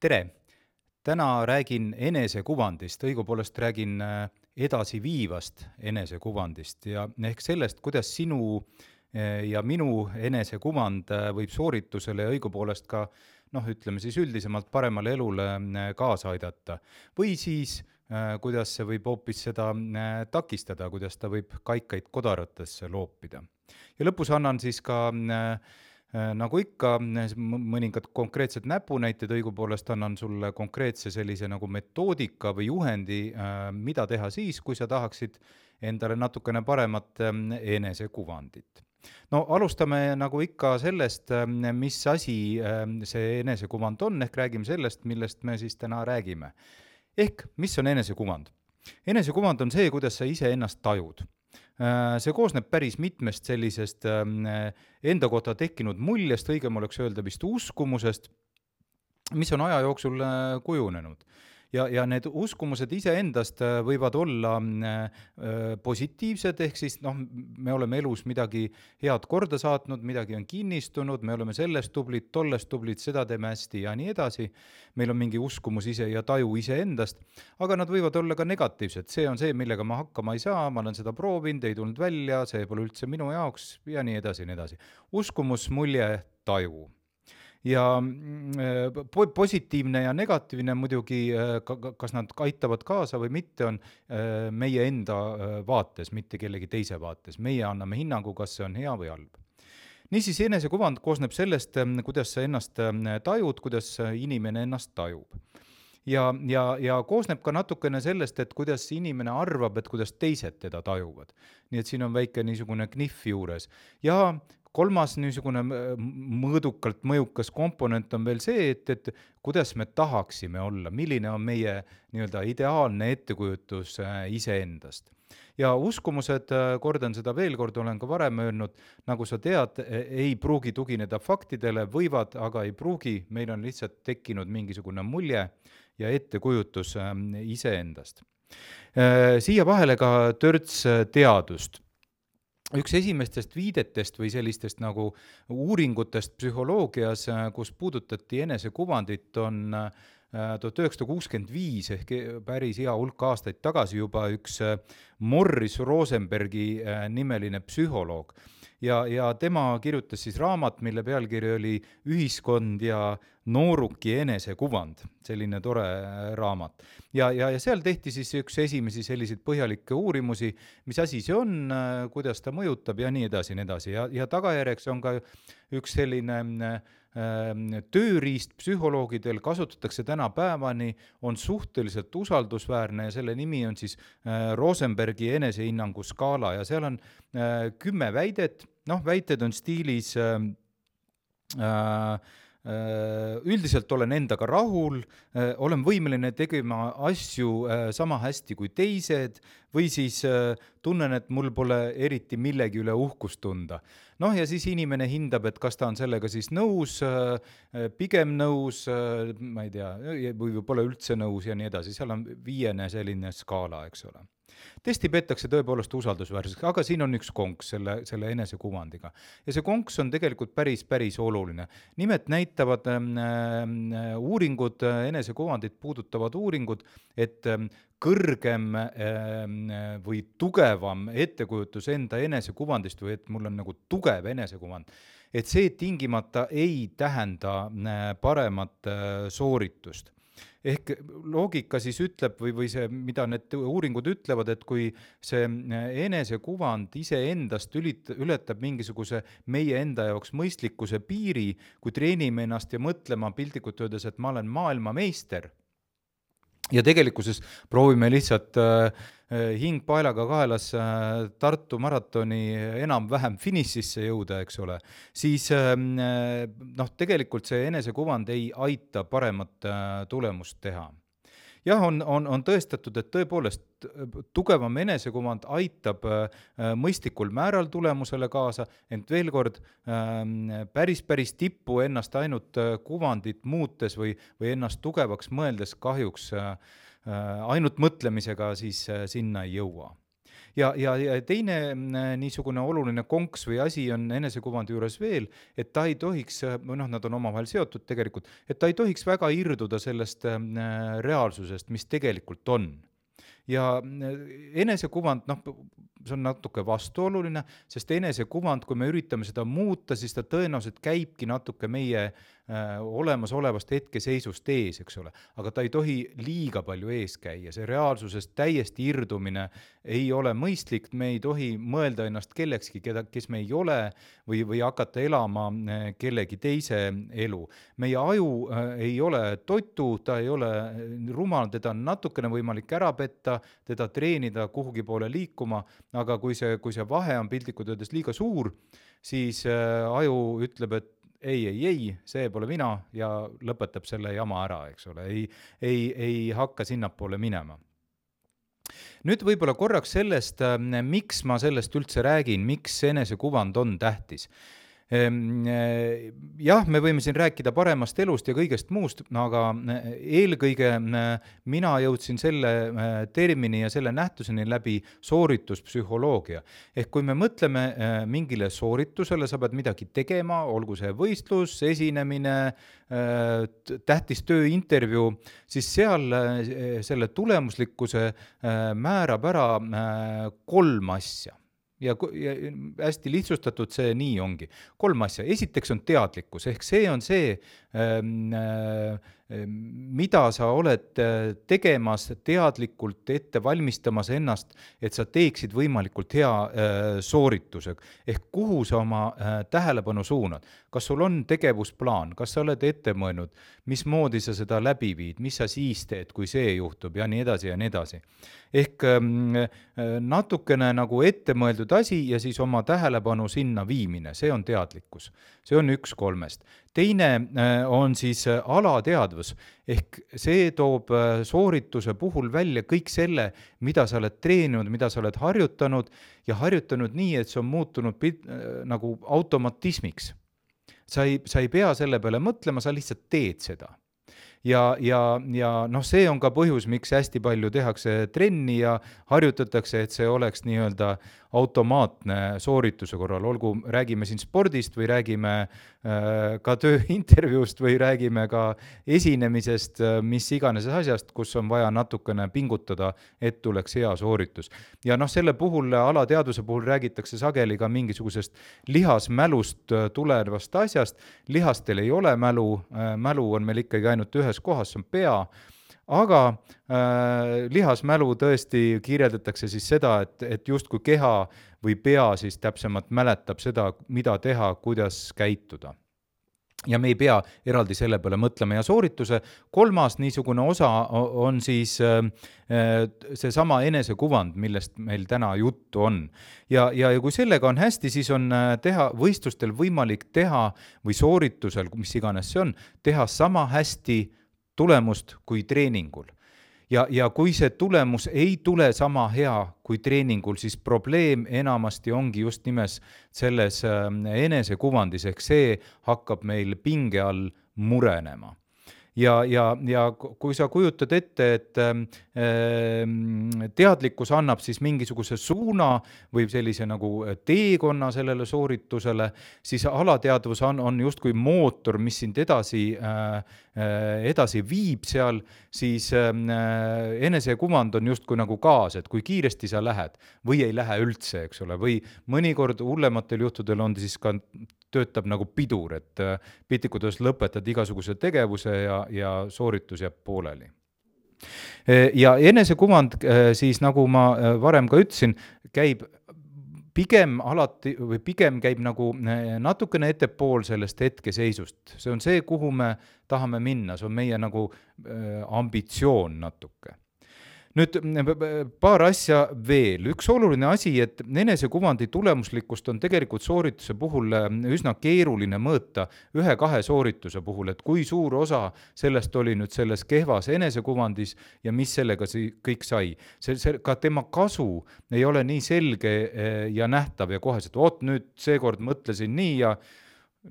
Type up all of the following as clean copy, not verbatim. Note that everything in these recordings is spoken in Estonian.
Tere! Täna räägin enesekuvandist, õigupoolest räägin edasiviivast enesekuvandist ja ehk sellest, kuidas sinu ja minu enesekuvand võib sooritusele ja õigupoolest ka, ütleme siis üldisemalt paremale elule kaasa aidata. Või siis, kuidas see võib hoopis seda takistada, kuidas ta võib kaikaid kodaratesse loopida. Ja lõpus annan siis ka nagu ikka, mõningad konkreetsed näpunäited, õigupoolest annan sulle konkreetse sellise nagu metoodika või juhendi, mida teha siis, kui sa tahaksid endale natukene paremat enesekuvandit. No alustame nagu ikka sellest, mis asi see enesekuvand on, ehk räägime sellest, millest me siis täna räägime. Ehk, mis on enesekuvand? Enesekuvand on see, kuidas sa ise ennast tajud. See koosneb päris mitmest sellisest enda kohta tekkinud muljest, õigem oleks öelda vist uskumusest, mis on aja jooksul kujunenud. Ja need uskumused iseendast võivad olla positiivsed, ehk siis me oleme elus midagi head korda saatnud, midagi on kinnistunud, me oleme sellest tublid, tollest tublid, seda teeme hästi ja nii edasi. Meil on mingi uskumus ise ja taju iseendast, aga nad võivad olla ka negatiivsed. See on see, millega ma hakkama ei saa, ma olen seda proovinud, ei tulnud välja, see pole üldse minu jaoks ja nii edasi, nii edasi. Uskumus, mulje, taju. Ja positiivne ja negatiivne muidugi, kas nad aitavad kaasa või mitte, on meie enda vaates, mitte kellegi teise vaates. Meie anname hinnangu, kas see on hea või halb. Niisiis, enesekuvand koosneb sellest, kuidas sa ennast tajud, kuidas inimene ennast tajub. Ja koosneb ka natukene sellest, et kuidas inimene arvab, et kuidas teised teda tajuvad. Nii et siin on väike niisugune knihv juures. Ja kolmas niisugune mõõdukalt mõjukas komponent on veel see, et kuidas me tahaksime olla, milline on meie nii-öelda ideaalne ettekujutus iseendast. Ja uskumused, kordan seda veel kord, olen ka varem öelnud, nagu sa tead, ei pruugi tugineda faktidele, võivad, aga ei pruugi, meil on lihtsalt tekkinud mingisugune mulje ja ettekujutus iseendast. Siia vahele ka törts teadust. Üks esimestest viidetest või sellistest nagu uuringutest psühholoogias, kus puudutati enesekuvandit, on 1965 ehk päris hea hulk aastaid tagasi juba üks Morris Rosenbergi nimeline psühholoog. Ja tema kirjutas siis raamat, mille pealkiri oli Ühiskond ja nooruki enesekuvand, selline tore raamat. Ja seal tehti siis üks esimesi selliseid põhjalikke uurimusi, mis asi see on, kuidas ta mõjutab ja nii edasi, nii edasi. Ja tagajärjeks on ka üks selline tööriist psühholoogidel, kasutatakse tänapäevani, on suhteliselt usaldusväärne ja selle nimi on siis Rosenbergi enesehinnangu skaala ja seal on 10 väidet, väited on stiilis üldiselt olen endaga rahul, olen võimeline tegema asju sama hästi kui teised või siis tunnen, et mul pole eriti millegi üle uhkust tunda. Ja siis inimene hindab, et kas ta on sellega siis nõus, pigem nõus, ma ei tea, või pole üldse nõus ja nii edasi. Seal on 5 selline skaala, eks ole. Testi peetakse tõepoolest usaldusväärseks, aga siin on üks konks selle enesekuvandiga. Ja see konks on tegelikult päris oluline. Nimelt näitavad uuringud, enesekuvandit puudutavad uuringud, et kõrgem või tugevam ettekujutus enda enesekuvandist või et mul on nagu tugev enesekuvand, et see tingimata ei tähenda paremat sooritust. Ehk loogika siis ütleb või see, mida need uuringud ütlevad, et kui see enesekuvand iseendast ületab mingisuguse meie enda jaoks mõistlikkuse piiri, kui treenime ennast ja mõtlema piltlikult öeldes, et ma olen maailmameister, ja tegelikkuses proovime lihtsalt hing paelaga kaelas Tartu maratoni enam-vähem finišisse jõuda, eks ole, siis tegelikult see enesekuvand ei aita paremat tulemust teha. Jah, on tõestatud, et tõepoolest tugevam enesekuvand aitab mõistlikul määral tulemusele kaasa, ent veel kord päris tippu ennast ainult kuvandit muutes või ennast tugevaks mõeldes kahjuks ainult mõtlemisega siis sinna ei jõua. ja teine niisugune oluline konks või asi on enesekuvandi juures veel, et ta ei tohiks, nad on omavahel seotud tegelikult, et ta ei tohiks väga irduda sellest reaalsusest, mis tegelikult on. Ja enesekuvand, see on natuke vastuoluline, sest enesekuvand, kui me üritame seda muuta, siis ta tõenäoliselt käibki natuke meie olemasolevast hetkeseisust ees, eks ole. Aga ta ei tohi liiga palju ees käia, see reaalsusest täiesti irdumine ei ole mõistlik, me ei tohi mõelda ennast kellekski, kes me ei ole, või hakata elama kellegi teise elu. Meie aju ei ole totu, ta ei ole rumal, teda on natukene võimalik ära petta, teda treenida kuhugi poole liikuma, aga kui see vahe on piltlikult öeldes liiga suur, siis aju ütleb, et ei, see pole mina ja lõpetab selle jama ära, eks ole, ei hakka sinnapoole minema. Nüüd võib-olla korraks sellest, miks ma sellest üldse räägin, miks enesekuvand on tähtis. Jah, me võime siin rääkida paremast elust ja kõigest muust, aga eelkõige mina jõudsin selle termini ja selle nähtuseni läbi soorituspsühholoogia. Ehk kui me mõtleme mingile sooritusele, sa pead midagi tegema, olgu see võistlus, esinemine, tähtis tööintervjuu, siis seal selle tulemuslikkuse määrab ära 3 asja. Ja hästi lihtsustatud see nii ongi. 3 asja. Esiteks on teadlikkus, ehk see on see, mida sa oled tegemas teadlikult ette valmistamas ennast, et sa teeksid võimalikult hea soorituse. Ehk kuhu sa oma tähelepanu suunad? Kas sul on tegevusplaan? Kas sa oled ette mõelnud? Mismoodi sa seda läbi viid? Mis sa siis teed, kui see juhtub? Ja nii edasi ja nii edasi. Ehk natukene nagu ette mõeldud asi ja siis oma tähelepanu sinna viimine, see on teadlikkus. See on 1 3. Teine on siis alateadvus, ehk see toob soorituse puhul välja kõik selle, mida sa oled treeninud, mida sa oled harjutanud ja harjutanud nii, et see on muutunud nagu automatismiks. Sa ei pea selle peale mõtlema, sa lihtsalt teed seda. Ja see on ka põhjus, miks hästi palju tehakse trenni ja harjutatakse, et see oleks nii-öelda automaatne soorituse korral, olgu räägime siin spordist või räägime ka tööintervjuust või räägime ka esinemisest, mis iganes asjast, kus on vaja natukene pingutada, et tuleks hea sooritus. Ja selle puhul, alateadvuse puhul räägitakse sageli ka mingisugusest lihasmälust tulevast asjast. Lihastel ei ole mälu on meil ikkagi ainult ühes kohas, see on pea, aga lihasmälu tõesti kirjeldatakse siis seda, et justkui keha või pea siis täpsemalt mäletab seda, mida teha, kuidas käituda. Ja me ei pea eraldi selle peale mõtlema ja soorituse 3. niisugune osa on siis see sama enesekuvand, millest meil täna juttu on. Ja kui sellega on hästi, siis on võistlustel võimalik teha või sooritusel, mis iganes see on, teha sama hästi tulemust kui treeningul. Ja kui see tulemus ei tule sama hea kui treeningul, siis probleem enamasti ongi just nimelt selles enesekuvandis, ehk see hakkab meil pinge all murenema. Ja kui sa kujutad ette, et teadlikkus annab siis mingisuguse suuna või sellise nagu teekonna sellele sooritusele, siis alateadvus on justkui mootor, mis sind edasi viib seal, siis enesekuvand on justkui nagu gaas, et kui kiiresti sa lähed või ei lähe üldse, eks ole, või mõnikord hullematel juhtudel on siis ka töötab nagu pidur, et piltlikult lõpetad igasuguse tegevuse ja sooritus jääb pooleli. Ja enesekuvand siis, nagu ma varem ka ütlesin, käib pigem käib nagu natukene ettepool sellest hetkeseisust. See on see, kuhu me tahame minna, see on meie nagu ambitsioon natuke. Nüüd paar asja veel. Üks oluline asi, et enesekuvandi tulemuslikkust on tegelikult soorituse puhul üsna keeruline mõõta 1-2 soorituse puhul, et kui suur osa sellest oli nüüd selles kehvas enesekuvandis ja mis sellega kõik sai. Ka tema kasu ei ole nii selge ja nähtav ja koheselt, nüüd seekord mõtlesin nii ja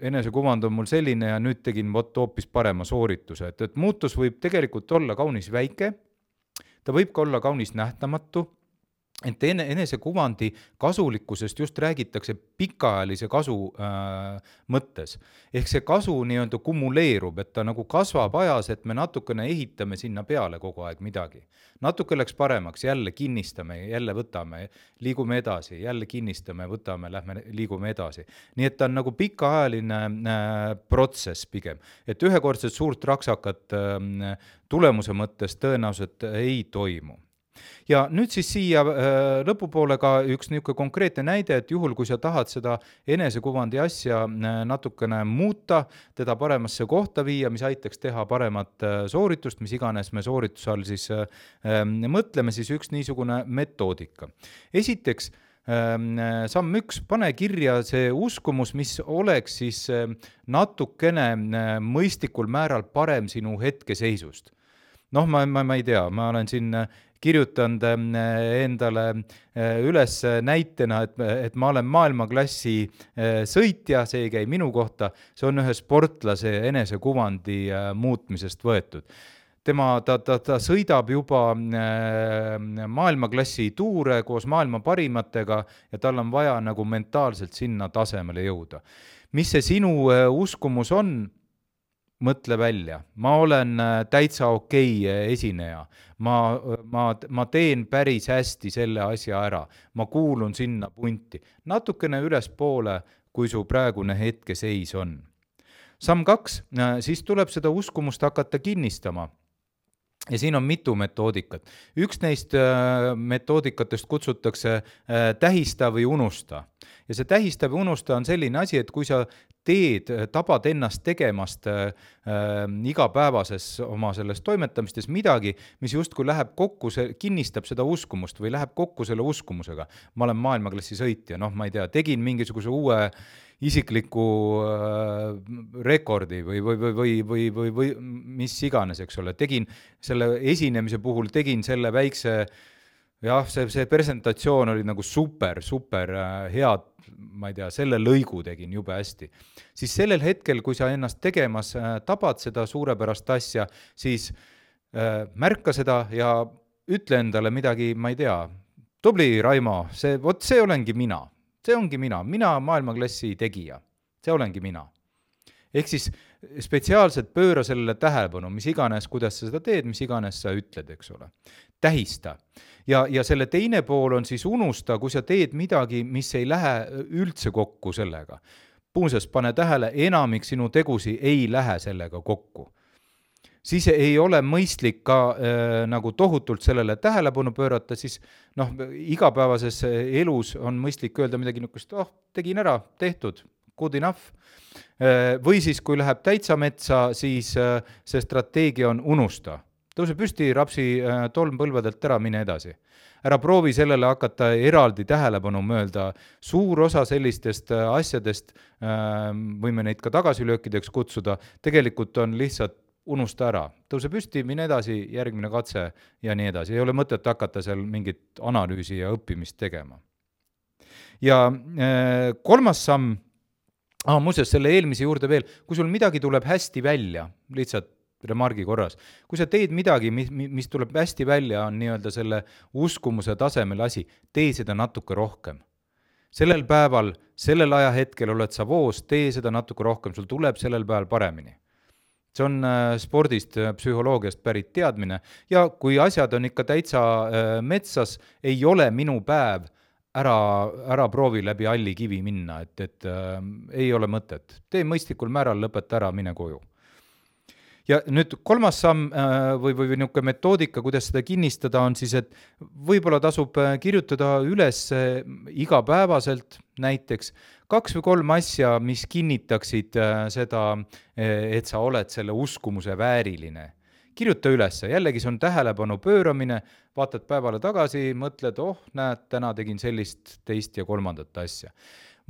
enesekuvand on mul selline ja nüüd tegin hoopis parema soorituse. Et muutus võib tegelikult olla kaunis väike, ta võib ka olla kaunis nähtamatu et enesekuvandi kasulikkusest just räägitakse pikaajalise kasu mõttes. Ehk see kasu nii-öelda kumuleerub, et ta nagu kasvab ajas, et me natukene ehitame sinna peale kogu aeg midagi. Natuke läks paremaks, jälle kinnistame, jälle võtame, liigume edasi, jälle kinnistame, võtame, lähme liigume edasi. Nii et ta on nagu pikaajaline protsess pigem. Et ühekordset suurt raksakat tulemuse mõttes tõenäoliselt ei toimu. Ja nüüd siis siia lõpupoole ka üks niisugune konkreetne näide, et juhul, kui sa tahad seda enesekuvandi asja natukene muuta, teda paremasse kohta viia, mis aitaks teha paremat sooritust, mis iganes me soorituse all siis mõtleme, siis üks niisugune metoodika. Esiteks, samm 1, pane kirja see uskumus, mis oleks siis natukene mõistlikul määral parem sinu hetkeseisust. Noh, ma ei tea, ma olen siin kirjutanud endale üles näitena, et ma olen maailmaklassi sõitja, see ei käi minu kohta, see on ühe sportlase enesekuvandi muutmisest võetud. Ta sõidab juba maailmaklassi tuure koos maailma parimatega ja tal on vaja nagu mentaalselt sinna tasemele jõuda. Mis see sinu uskumus on? Mõtle välja, ma olen täitsa okei esineja, ma teen päris hästi selle asja ära, ma kuulun sinna punti, natukene ülespoole, kui su praegune hetkeseis on. Samm 2, siis tuleb seda uskumust hakata kinnistama. Ja siin on mitu metoodikat. Üks neist metoodikatest kutsutakse tähista või unusta. Ja see tähista või unusta on selline asi, et kui sa tabad ennast tegemast igapäevases oma selles toimetamistes midagi, mis justkui läheb kokku, kinnistab seda uskumust või läheb kokku selle uskumusega. Ma olen maailmaklassi sõitja, ma ei tea, tegin mingisuguse uue isikliku rekordi või mis iganes, eks ole. Tegin selle esinemise puhul, tegin selle väikse, see presentatsioon oli nagu super head, ma ei tea, selle lõigu tegin jube hästi. Siis sellel hetkel, kui sa ennast tegemas tabad seda suurepärast asja, siis märka seda ja ütle endale midagi, ma ei tea, tubli Raimo, see olengi mina. See ongi mina maailmaklassi tegija, see olengi mina. Ehk siis spetsiaalselt pööra sellele tähelepanu, mis iganes, kuidas sa seda teed, mis iganes sa ütled, eks ole. Tähista. Ja selle teine pool on siis unusta, kui sa teed midagi, mis ei lähe üldse kokku sellega. Muuseas, pane tähele, enamik sinu tegusi ei lähe sellega kokku. Siis ei ole mõistlik ka nagu tohutult sellele tähelepanu pöörata, siis igapäevases elus on mõistlik öelda midagi niisugust, tegin ära, tehtud, good enough. Või siis, kui läheb täitsa metsa, siis see strateegia on unusta. Tõuse püsti, rapsi tolm põlvedelt ära, mine edasi. Ära proovi sellele hakata eraldi tähelepanu möölda. Suur osa sellistest asjadest, võime neid ka tagasilöökideks kutsuda, tegelikult on lihtsalt unusta ära. Tõuse püsti, mine edasi, järgmine katse ja nii edasi. Ei ole mõtet hakata seal mingit analüüsi ja õppimist tegema. Ja kolmas samm, muuseas selle eelmise juurde veel, kui sul midagi tuleb hästi välja, lihtsalt remargi korras, kui sa teed midagi, mis tuleb hästi välja, on nii-öelda selle uskumuse tasemel asi, tee seda natuke rohkem. Sellel päeval, sellel ajahetkel oled sa voos, tee seda natuke rohkem, sul tuleb sellel päeval paremini. See on spordist, psühholoogiast pärit teadmine ja kui asjad on ikka täitsa metsas, ei ole minu päev, ära proovi läbi halli kivi minna, et ei ole mõtet. Tee mõistlikul määral, lõpeta ära, mine koju. Ja nüüd kolmas samm või niisugune metoodika, kuidas seda kinnistada, on siis, et võib-olla tasub kirjutada üles igapäevaselt näiteks 2 või 3 asja, mis kinnitaksid seda, et sa oled selle uskumuse vääriline. Kirjuta üles, jällegi see on tähelepanu pööramine, vaatad päevale tagasi, mõtled, näed, täna tegin sellist, teist ja kolmandat asja.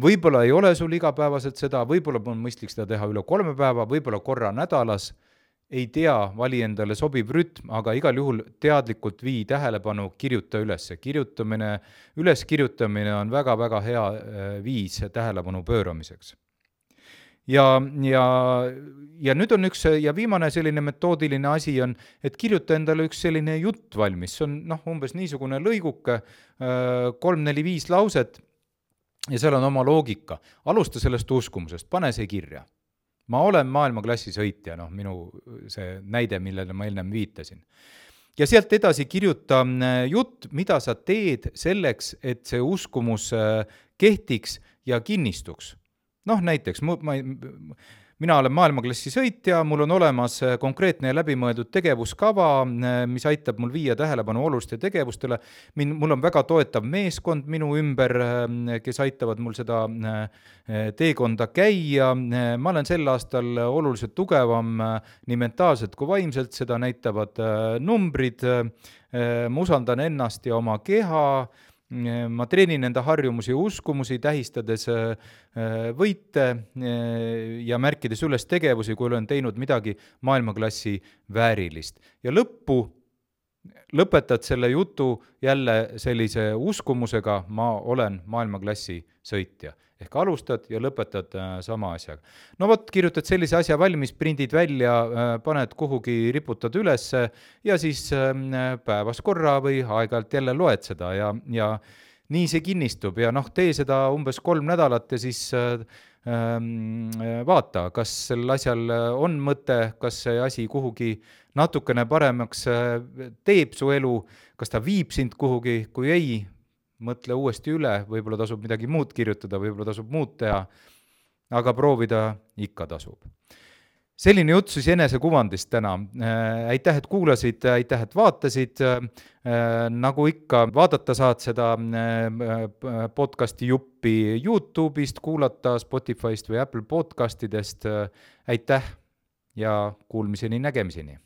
Võib-olla ei ole sul igapäevaselt seda, võib-olla on mõistlik seda teha üle 3 päeva, võib-olla korra nädalas, ei tea, vali endale sobib rütm, aga igal juhul teadlikult vii tähelepanu, kirjuta üles. Üleskirjutamine on väga-väga hea viis tähelepanu pööramiseks. ja nüüd on üks ja viimane selline metoodiline asi on, et kirjuta endale üks selline jutt valmis, see on umbes niisugune lõiguke, 3-4-5 lauset ja seal on oma loogika. Alusta sellest uskumusest, pane see kirja. Ma olen maailmaklassi sõitja, minu see näide, millele ma enne viitasin. Ja sealt edasi kirjuta jutt, mida sa teed selleks, et see uskumus kehtiks ja kinnistuks. Näiteks, mina olen maailmaklassi sõitja, mul on olemas konkreetne ja läbimõeldud tegevuskava, mis aitab mul viia tähelepanu oluliste tegevustele. Mul on väga toetav meeskond minu ümber, kes aitavad mul seda teekonda käia. Ma olen sel aastal oluliselt tugevam nii mentaalselt kui vaimselt, seda näitavad numbrid. Ma usaldan ennast ja oma keha. Ma treenin enda harjumusi ja uskumusi, tähistades võite ja märkides üles tegevusi, kui olen teinud midagi maailmaklassi väärilist. Ja lõpetad selle jutu jälle sellise uskumusega, ma olen maailmaklassi sõitja. Ehk alustad ja lõpetad sama asjaga. Kirjutad sellise asja valmis, prindid välja, paned kuhugi, riputad üles ja siis päevas korra või aeg-ajalt jälle loed seda ja nii see kinnistub ja tee seda umbes 3 nädalat ja siis vaata, kas sel asjal on mõte, kas see asi kuhugi natukene paremaks teeb su elu, kas ta viib sind kuhugi, kui ei, mõtle uuesti üle, võib-olla tasub midagi muud kirjutada, võib-olla tasub muud teha, aga proovida ikka tasub. Selline jutt siis enesekuvandist täna. Aitäh, et kuulasid, aitäh, et vaatasid. Nagu ikka, vaadata saad seda podcasti juppi YouTube'ist, kuulata Spotify'st või Apple podcastidest. Aitäh ja kuulmiseni, nägemiseni!